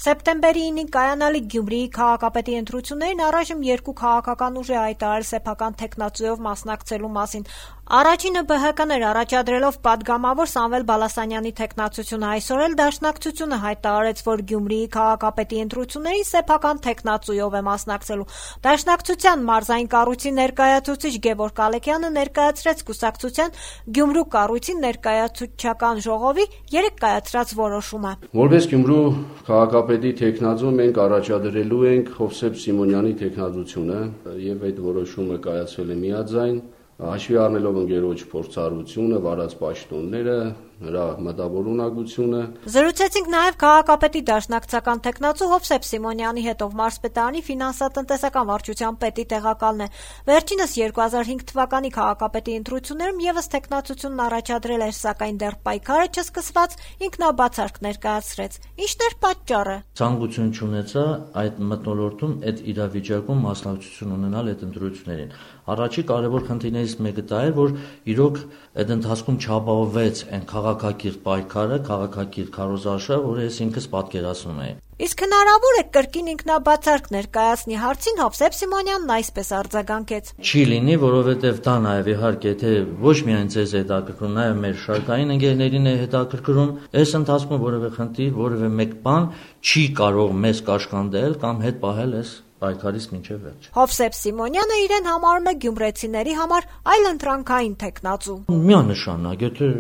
Սեպտեմբերի 9-ին կայանալիք Գյումրիի քաղաքապետի ընտրություններին առայժմ երկու քաղաքական ուժ է հայտարարել սեփական թեկնածուով մասնակցելու մասին։ Առաջինը ԲՀԿ-ն էր, առաջադրելով պատգամավոր Սամվել Բալասանյանի թեկնածությունը։ Այսօր էլ Դաշնակցությունը հայտարարեց, որ Գյումրիի քաղաքապետի ընտրություններին սեփական թեկնածուով է մասնակցելու։ Դաշնակցության մարզային կառույցի ներկայացուցիչ Գևորգ Ալեքյանը ներկայացրեց կուսակցության Գյումրու կառույցի ներկայացուցչական ժողովի երեկ կայացրած որոշումը։ Որպես Գյումրու քաղաքապետի թեկնածու մենք առաջադրելու ենք Հովսեփ Սիմոնյանի թեկնածությունը եւ այդ որոշումը կայացվել է միաձայն, հաշվի առնելով ընկերոջ փորձառությունը, վարած պաշտոնները, նրա մտավորունակությունը։ Զրուցեցինք նաև քաղաքապետի դաշնակցական թեկնածու Հովսեփ Սիմոնյանի հետ, ով մարզպետարանի ֆինանսատնտեսական վարչության պետի տեղակալն է։ Վերջինս 2005 թվականի քաղաքապետի ընտրություններում եւս թեկնածությունն առաջադրել էր, սակայն դեռ պայքարը չսկսված ինքնաբացարկ ներկայացրեց։ Ինչն էր պատճառը։ Ցանկություն չունեցա այդ մթնոլորտում այդ իրավիճակում մասնակցություն ունենալ այդ ընտրություններին։ Առաջի կարևոր խնդիրներից մեկը դա էր, որ իրոք այդ ընթացքում չապահովվեց այն քաղաքակիրթ պայքարը, քաղաքակիրթ քարոզարշավը, որը ես ինքս պատկերացնում էի։ Իսկ հնարավոր է կրկին ինքնաբացարկ ներկայացնի հարցին Հովսեփ Սիմոնյանն այսպես արձագանքեց. Չի լինի, որովհետև դա նաև իհարկե թե ոչ միայն ձեզ հետաքրքրում, նաև մեր շարքային ընկերներին է հետաքրքրում, այս ընթացքում որևէ խնդիր, որևէ մեկ բան չի կարող մեզ կաշկանդել կամ հետ պահել այս պայքարից մինչև վերջ։ Հովսեփ Սիմոնյանը իրեն համարում է գյումրեցիների համար այլընտրանքային թեկնածու։ Միանշանակ, եթե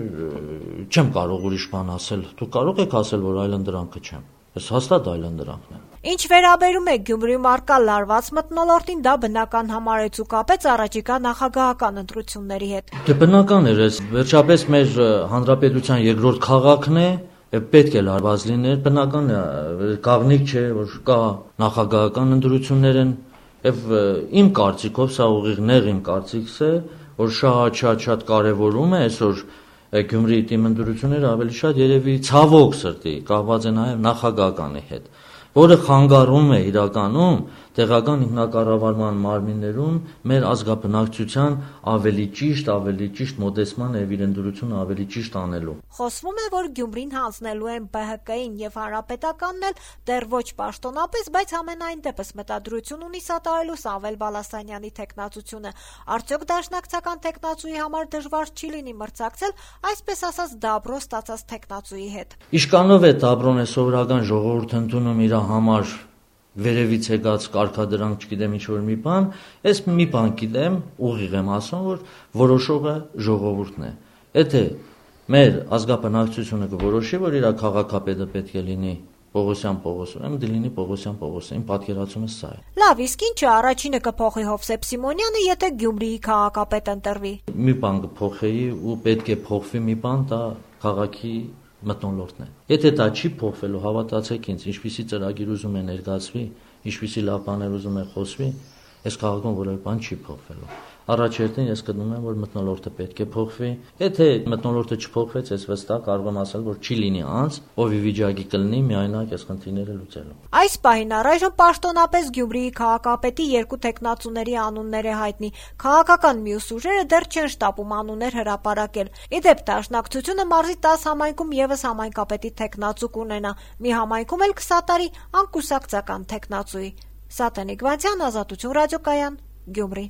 չեմ կարող ուրիշ բան ասել, դուք կարող եք ասել, որ այլընտրանքը չեմ։ Ես հաստատ այլընտրանքն եմ։ Ինչ վերաբերում է Գյումրիում առկա լարված մթնոլորտին, դա բնական համարեց ու կապեց առաջիկա նախագահական ընտրությունների հետ։ Դե բնական էր, վերջապես մեր հանրապետության երկրորդ քաղաքն է, պետք է լարված լիներ, բնական է, կաղնիկ չէ, որ կա նախագահական ընտրություններ են, եւ իմ կարծիքով սա ուղիղ նեղ իմ կարծիքս է, որ շատ կարևորում է այսօր Գյումրիի թիմ ընտրությունները ավելի շատ երևի ցավոք սրտի կապված է նաև նախագահականի հետ, որը խանգարում է իրականում տեղական ինքնակառավարման մարմիններում մեր ազգաբնակչության ավելի ճիշտ մոտեցման եւ իրենդրությունը ավելի ճիշտ անելու։ Խոսվում է, որ Գյումրին հանձնելու են ԲՀԿ-ին եւ Հանրապետականն էլ դեռ ոչ պաշտոնապես, բայց ամենայն դեպս մտադրություն ունի սատարելու Սամվել Բալասանյանի թեկնածությունը։ Արդյոք դաշնակցական թեկնածուի համար դժվար չի լինի մրցակցել, այսպես ասած դաբրո ստացած թեկնածուի հետ։ Իշկանով է դաբրոն է սովորական ժողովուրդ ընդունում իր համար վերևից եկած կարգադրանք, չգիտեմ ինչ որ մի բան, ես մի բան գիտեմ, ուղիղ եմ ասում, որ որոշողը ժողովուրդն է։ Եթե մեր ազգաբնակչությունը կորոշի, որ իր քաղաքապետը պետք է լինի Պողոսյան Պողոսը, դիլինի Պողոսյան Պողոսը, իմ պատկերացումը սա է։ Լավ, իսկ ինչը առաջինը կփոխի Հովսեփ Սիմոնյանը, եթե Գյումրիի քաղաքապետ ընտրվի։ Մի բան կփոխեի ու պետք է փոխվի մի բան, դա քաղաքի մթնոլորտն է։ Եթե դա չի փոխվելու, հավատացեք ինձ, ինչպիսի ծրագիր ուզում է ներկայացվի, ինչպիսի լավ բաներ ուզում է խոսվի, այս քաղաքում որևէ բան չի փոխվելու։ Առաջերտին ես գտնում եմ, որ մթնոլորտը պետք է փոխվի։ Եթե մթնոլորտը չփոխվեց, ես վստահ կարող եմ ասել, որ չի լինի անձ, ով ի վիճակի կլինի միայնակ այս խնդիրները լուծելու։ Այս պահին առայժմ պաշտոնապես Գյումրիի քաղաքապետի երկու թեկնածուների անուններ է հայտնի։ Քաղաքական մյուս ուժերը դեռ չեն շտապում անուններ հրապարակել։ Ի դեպ, Դաշնակցությունը մարզի 10 համայնքում եւս համայնքապետի թեկնածու կունենա։ Մի համայնքում էլ կսատարի անկուսակցական թեկնածուի։ Սատենիկ Վանցյան, Ազատություն ռադիոկայան, Գյումրի։